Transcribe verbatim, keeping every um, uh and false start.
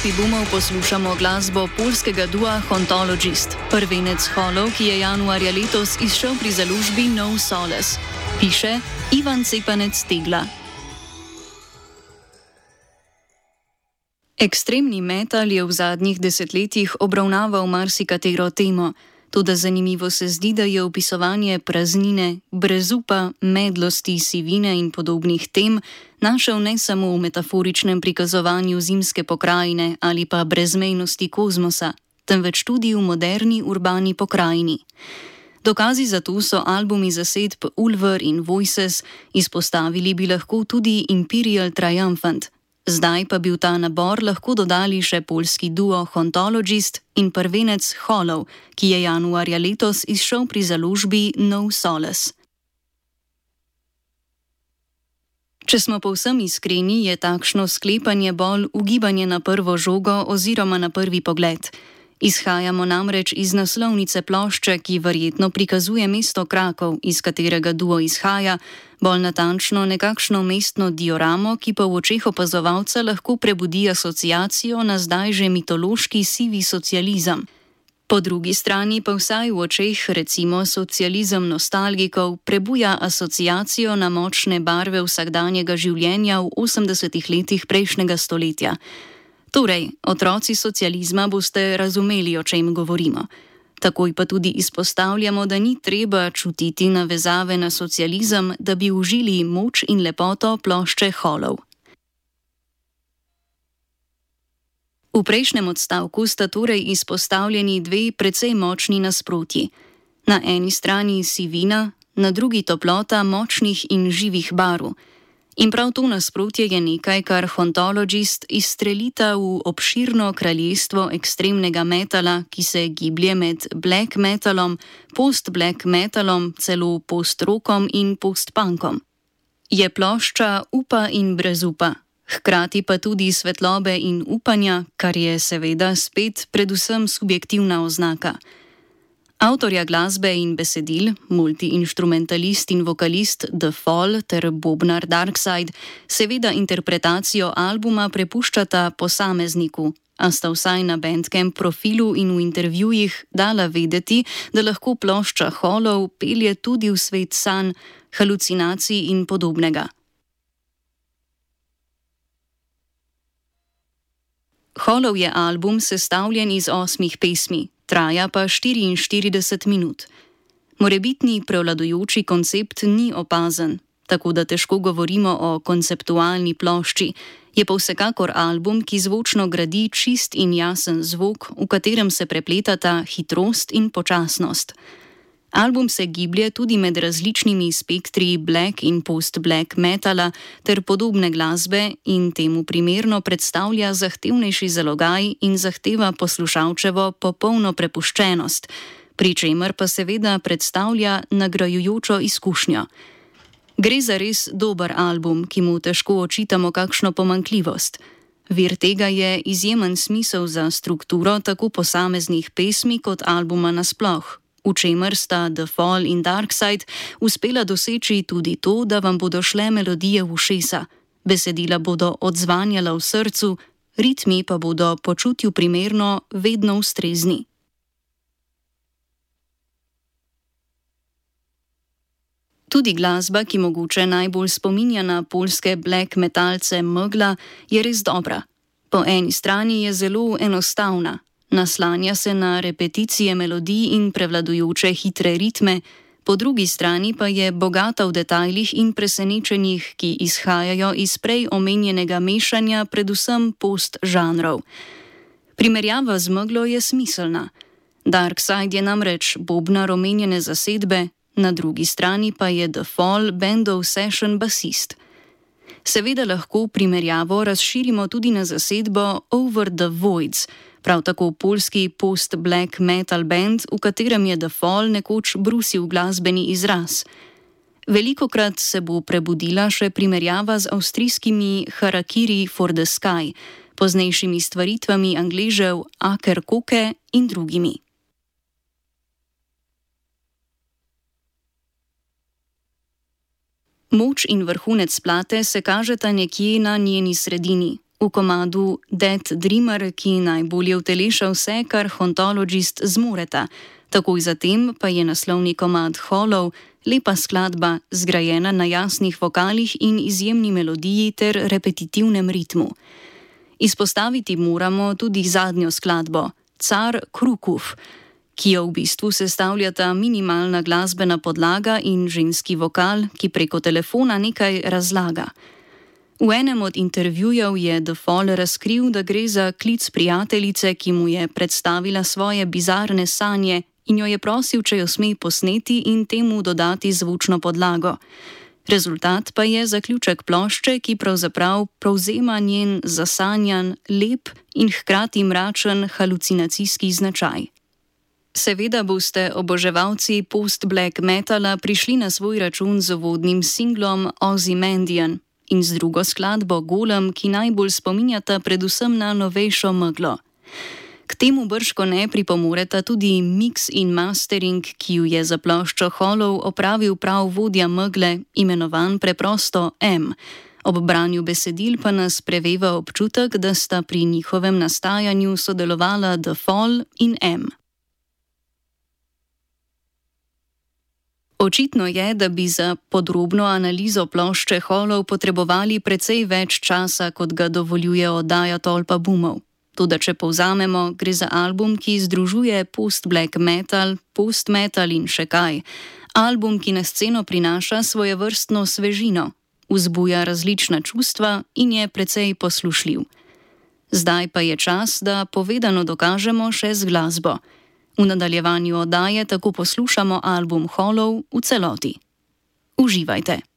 ekipi Boomov poslušamo glasbo poljskega dua Hauntologist, prvenec Hollow, ki je januarja letos izšel pri založbi No Solace. Piše Ivan Cepanec Tegla. Ekstremni metal je v zadnjih desetletjih obravnaval marsikatero temo. Toda zanimivo se zdi, da je opisovanje praznine, brezupa, medlosti, sivine in podobnih tem našel ne samo v metaforičnem prikazovanju zimske pokrajine ali pa brezmejnosti kozmosa, temveč tudi v moderni urbani pokrajini. Dokazi za to so albumi zasedb Ulver in Voices, izpostavili bi lahko tudi Imperial Triumphant. Zdaj pa bi v ta nabor lahko dodali še poljski duo Hauntologist in prvenec Hollow, ki je januarja letos izšel pri založbi No Solace. Če smo povsem iskreni, je takšno sklepanje bolj ugibanje na prvo žogo oziroma na prvi pogled. Izhajamo namreč iz naslovnice plošče, ki verjetno prikazuje mesto Krakov, iz katerega duo izhaja, bolj natančno nekakšno mestno dioramo, ki pa v očeh opazovalca lahko prebudi asociacijo na zdaj že mitološki sivi socializem. Po drugi strani pa vsaj v očeh recimo socializem nostalgikov prebuja asociacijo na močne barve vsakdanjega življenja v osemdesetih letih prejšnjega stoletja. Torej, otroci socializma boste razumeli, o čem govorimo. Takoj pa tudi izpostavljamo, da ni treba čutiti navezave na socializem, da bi užili moč in lepoto plošče Hollow. V prejšnjem odstavku sta torej izpostavljeni dve precej močni nasprotji. Na eni strani sivina, na drugi toplota močnih in živih barv. In prav to nasprotje je nekaj, kar Hauntologist izstrelita v obširno kraljestvo ekstremnega metala, ki se giblje med black metalom, post-black metalom, celo post-rockom in post-punkom. Je plošča upa in brezupa, hkrati pa tudi svetlobe in upanja, kar je seveda spet predvsem subjektivna oznaka. Avtorja glasbe in besedil, multiinštrumentalist in vokalist The Fall ter bobnar Darkside, seveda interpretacijo albuma prepuščata posamezniku, a sta vsaj na Bandcamp profilu in v intervjujih dala vedeti, da lahko plošča Hollow pelje tudi v svet sanj, halucinacij in podobnega. Hollow je album sestavljen iz osmih pesmi, traja pa štiriinštirideset minut. Morebitni prevladujoči koncept ni opazen, tako da težko govorimo o konceptualni plošči, je pa vsekakor album, ki zvočno gradi čist in jasen zvok, v katerem se prepletata hitrost in počasnost. Album se giblje tudi med različnimi spektri black in post-black metala ter podobne glasbe in temu primerno predstavlja zahtevnejši zalogaj in zahteva poslušalčevo popolno prepuščenost, pri čemer pa seveda predstavlja nagrajujočo izkušnjo. Gre za res dober album, ki mu težko očitamo kakšno pomanjkljivost. Vir tega je izjemen smisel za strukturo tako posameznih pesmi kot albuma nasploh, v čemer sta The Fall in Darkside uspela doseči tudi to, da vam bodo šle melodije v ušesa, besedila bodo odzvanjala v srcu, ritmi pa bodo počutju primerno vedno ustrezni. Tudi glasba, ki mogoče najbolj spominja na poljske black metalce Megla, je res dobra. Po eni strani je zelo enostavna, naslanja se na repeticije melodij in prevladujoče hitre ritme, po drugi strani pa je bogata v detajlih in presenečenjih, ki izhajajo iz prej omenjenega mešanja predvsem post-žanrov. Primerjava z Meglo je smiselna. Darkside je namreč bobnar omenjene zasedbe, na drugi strani pa je The Fall bandov session basist. Seveda lahko primerjavo razširimo tudi na zasedbo Over the Voids, prav tako poljski post-black metal band, v katerem je The Fall nekoč brusil glasbeni izraz. Velikokrat se bo prebudila še primerjava z avstrijskimi Harakiri for the Sky, poznejšimi stvaritvami Angležev Aker Koke in drugimi. Moč in vrhunec plate se kažeta nekje na njeni sredini, v komadu Dead Dreamer, ki najbolje uteleša vse, kar Hauntologist zmoreta. Takoj zatem pa je naslovni komad Hollow, lepa skladba, zgrajena na jasnih vokalih in izjemni melodiji ter repetitivnem ritmu. Izpostaviti moramo tudi zadnjo skladbo, Car Krukov, ki jo v bistvu sestavljata minimalna glasbena podlaga in ženski vokal, ki preko telefona nekaj razlaga. V enem od intervjujev je The Fall razkril, da gre za klic prijateljice, ki mu je predstavila svoje bizarne sanje in jo je prosil, če jo sme posneti in temu dodati zvučno podlago. Rezultat pa je zaključek plošče, ki pravzaprav prevzema njen zasanjan, lep in hkrati mračen halucinacijski značaj. Seveda boste oboževalci post-black metala prišli na svoj račun z uvodnim singlom Ozymandian in z drugo skladbo Golem, ki najbolj spominjata predvsem na novejšo meglo. K temu brško ne pripomoreta tudi mix in mastering, ki ju je za ploščo Hollow opravil prav vodja megle, imenovan preprosto M. Ob branju besedil pa nas preveva občutek, da sta pri njihovem nastajanju sodelovala The Fall in M. Očitno je, da bi za podrobno analizo plošče Hollow potrebovali precej več časa, kot ga dovoljuje oddaja Tolpa bumov. Toda če povzamemo, gre za album, ki združuje post-black metal, post-metal in še kaj. Album, ki na sceno prinaša svojevrstno svežino, vzbuja različna čustva in je precej poslušljiv. Zdaj pa je čas, da povedano dokažemo še z glasbo. V nadaljevanju oddaje tako poslušamo album Hollow v celoti. Uživajte!